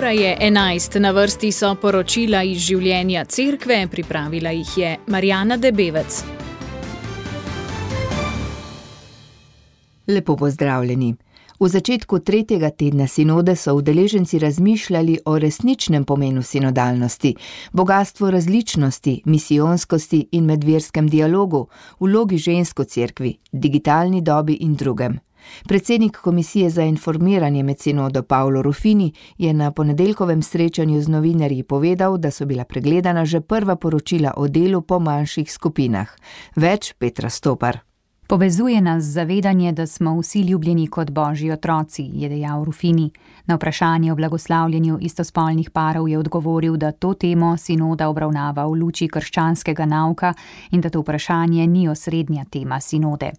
Ura je 11, na vrsti so poročila iz življenja cerkve, pripravila jih je Marjana Debevec. Lepo pozdravljeni. V začetku 3. tedna sinode so udeleženci razmišljali o resničnem pomenu sinodalnosti, bogastvu različnosti, misijonskosti in medverskem dialogu, vlogi žensk v cerkvi, digitalni dobi in drugem. Predsednik Komisije za informiranje med sinodo Paolo Ruffini je na ponedeljkovem srečanju z novinarji povedal, da so bila pregledana že prva poročila o delu po manjših skupinah. Več Petra Stopar. Povezuje nas zavedanje, da smo vsi ljubljeni kot božji otroci, je dejal Ruffini. Na vprašanje o blagoslavljanju istospolnih parov je odgovoril, da to temo sinoda obravnava v luči krščanskega nauka in da to vprašanje ni osrednja tema sinode.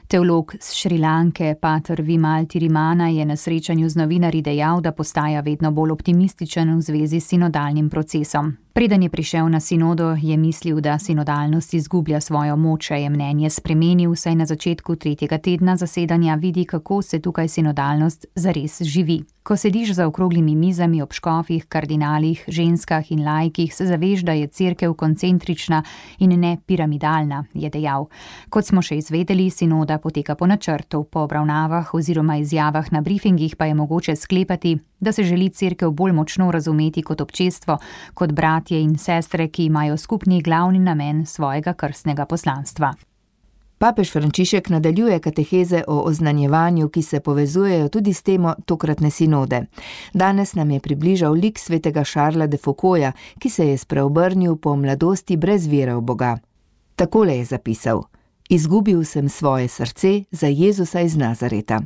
Teolog z Šrilanke, pater Vimal Tirimana, je na srečanju z novinarji dejal, da postaja vedno bolj optimističen v zvezi s sinodalnim procesom. Preden je prišel na sinodo, je mislil, da sinodalnost izgublja svojo moč, je mnenje spremenil, saj na začetku 3. tedna zasedanja vidi, kako se tukaj sinodalnost zares živi. Ko sediš za okroglimi mizami ob škofih, kardinalih, ženskah in laikih, se zaveš, da je cerkev koncentrična in ne piramidalna, je dejal. Kot smo še izvedeli, sinoda poteka po načrtu, po obravnavah oziroma izjavah na briefingih pa je mogoče sklepati, da se želi cerkev bolj močno razumeti kot občestvo, kot bratje in sestre, ki imajo skupni glavni namen svojega krstnega poslanstva. Papež Frančišek nadaljuje kateheze o oznanjevanju, ki se povezujejo tudi s temo tokratne sinode. Danes nam je približal lik svetega Šarla de Foucaulta, ki se je spreobrnil po mladosti brez vere v Boga. Takole je zapisal: Izgubil sem svoje srce za Jezusa iz Nazareta.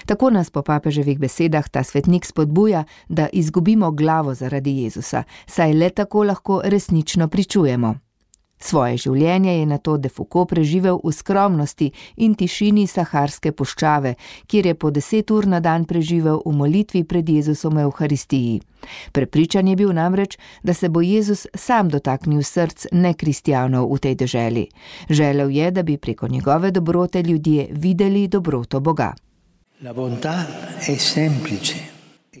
Tako nas po papeževih besedah ta svetnik spodbuja, da izgubimo glavo zaradi Jezusa, saj le tako lahko resnično pričujemo. Svoje življenje je nato de Foucault preživel v skromnosti in tišini Saharske puščave, kjer je po 10 ur na dan preživel v molitvi pred Jezusom v Evharistiji. Prepričan je bil namreč, da se bo Jezus sam dotaknil src nekristjanov v tej deželi. Želel je, da bi preko njegove dobrote ljudje videli dobroto Boga.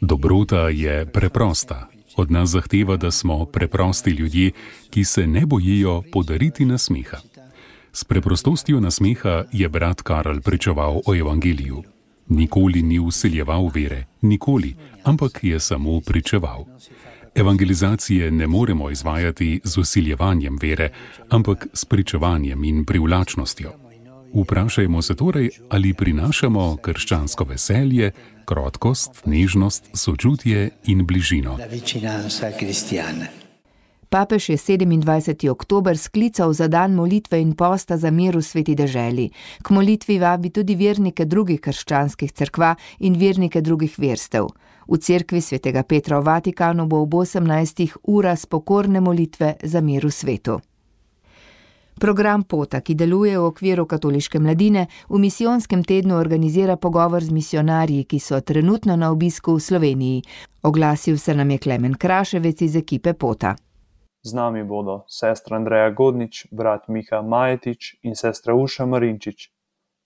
Dobrota je preprosta. Od nas zahteva, da smo preprosti ljudje, ki se ne bojijo podariti nasmeha. S preprostostjo nasmeha je brat Karel pričeval o evangeliju. Nikoli ni vseljeval vere, nikoli, ampak je samo pričeval. Evangelizacije ne moremo izvajati z vsiljevanjem vere, ampak s pričevanjem in privlačnostjo. Vprašajmo se torej, ali prinašamo krščansko veselje, krotkost, nežnost, sočutje in bližino. Papež je 27. oktober sklical za dan molitve in posta za mir v sveti deželi. K molitvi vabi tudi vernike drugih krščanskih cerkva in vernike drugih verstev. V cerkvi svetega Petra v Vatikanu bo ob 18. ura spokorne molitve za mir v svetu. Program Pota, ki deluje v okviru katoliške mladine, v misijonskem tednu organizira pogovor z misionarji, ki so trenutno na obisku v Sloveniji. Oglasil se nam je Klemen Kraševec iz ekipe Pota. Z nami bodo sestra Andreja Godnič, brat Miha Majetič in sestra Uša Marinčič.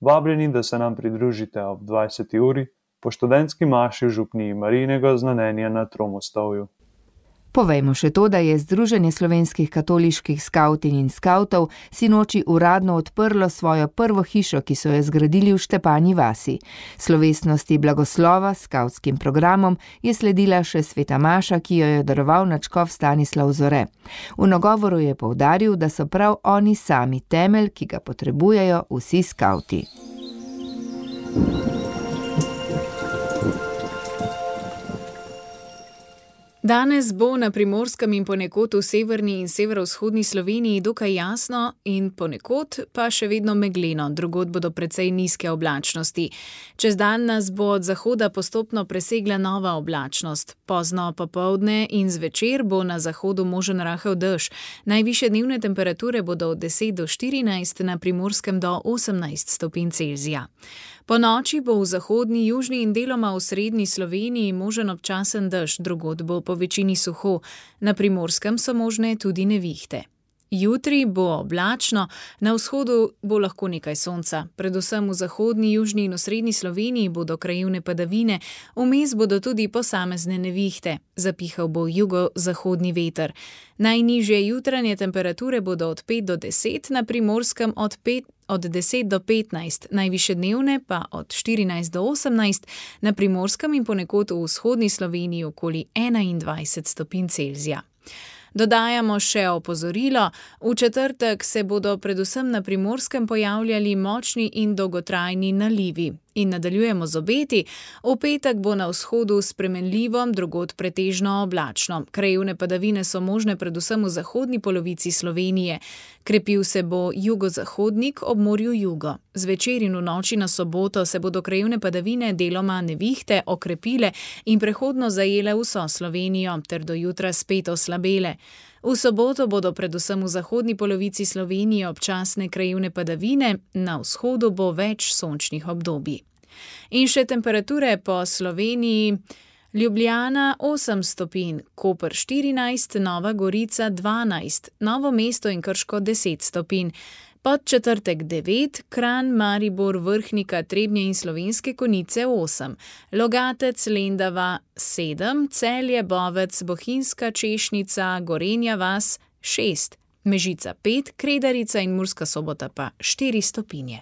Vabljeni, da se nam pridružite ob 20. uri po študentski maši v župniji Marijinega znamenja na Tromostovju. Povejmo še to, da je Združenje slovenskih katoliških skavtinj in skavtov sinoči uradno odprlo svojo prvo hišo, ki so jo zgradili v Štepanji vasi. Slovesnosti blagoslova s skavtskim programom je sledila še sveta maša, ki jo je daroval nadškof Stanislav Zore. V nagovoru je poudaril, da so prav oni sami temelj, ki ga potrebujejo vsi skavti. Danes bo na Primorskem in ponekod v severni in severovzhodni Sloveniji dokaj jasno in ponekod pa še vedno megleno, drugod bodo precej nizke oblačnosti. Čez dan nas bo od zahoda postopno presegla nova oblačnost. Pozno popoldne in zvečer bo na zahodu možen rahel dež. Najvišje dnevne temperature bodo od 10 do 14, na Primorskem do 18 stopinj Celzija. Po noči bo v zahodni, južni in deloma v srednji Sloveniji možen občasen dež, drugod bo po večini suho, na Primorskem so možne tudi nevihte. Jutri bo oblačno, na vzhodu bo lahko nekaj sonca. Predvsem v zahodni, južni in osrednji Sloveniji bodo krajevne padavine, vmes bodo tudi posamezne nevihte. Zapihal bo jugozahodni veter. Najnižje jutranje temperature bodo od 5 do 10, na Primorskem od 10 do 15, najvišje dnevne pa od 14 do 18, na Primorskem in ponekod v vzhodni Sloveniji okoli 21 stopinj Celzija. Dodajamo še opozorilo, v četrtek se bodo predvsem na Primorskem pojavljali močni in dolgotrajni nalivi. In nadaljujemo z obeti, v petek bo na vzhodu spremenljivo, drugod pretežno oblačno. Krajevne padavine so možne predvsem v zahodni polovici Slovenije. Krepil se bo jugozahodnik ob morju jugo. Zvečer in v noči na soboto se bodo krajevne padavine deloma nevihte okrepile in prehodno zajele vso Slovenijo, ter do jutra spet oslabele. V soboto bodo predvsem v zahodni polovici Slovenije občasne krajevne padavine, na vzhodu bo več sončnih obdobij. In še temperature po Sloveniji. Ljubljana 8 stopinj, Koper 14, Nova Gorica 12, Novo mesto in Krško 10 stopinj. Podčetrtek 9, Kranj, Maribor, Vrhnika, Trebnje in Slovenske Konjice 8, Logatec, Lendava 7, Celje, Bovec, Bohinjska, Češnica, Gorenja vas 6, Mežica 5, Kredarica in Murska Sobota pa 4 stopinje.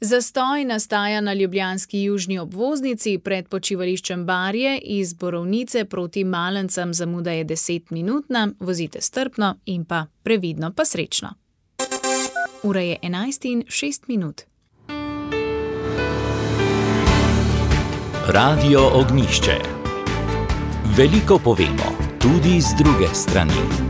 Zastoj nastaja na ljubljanski južni obvoznici pred počivališčem Barje iz Borovnice proti Malencem, zamuda je 10-minutna, vozite strpno in pa previdno pa srečno. Ura je 11:06. Radio Ognjišče. Veliko povemo, tudi z druge strani.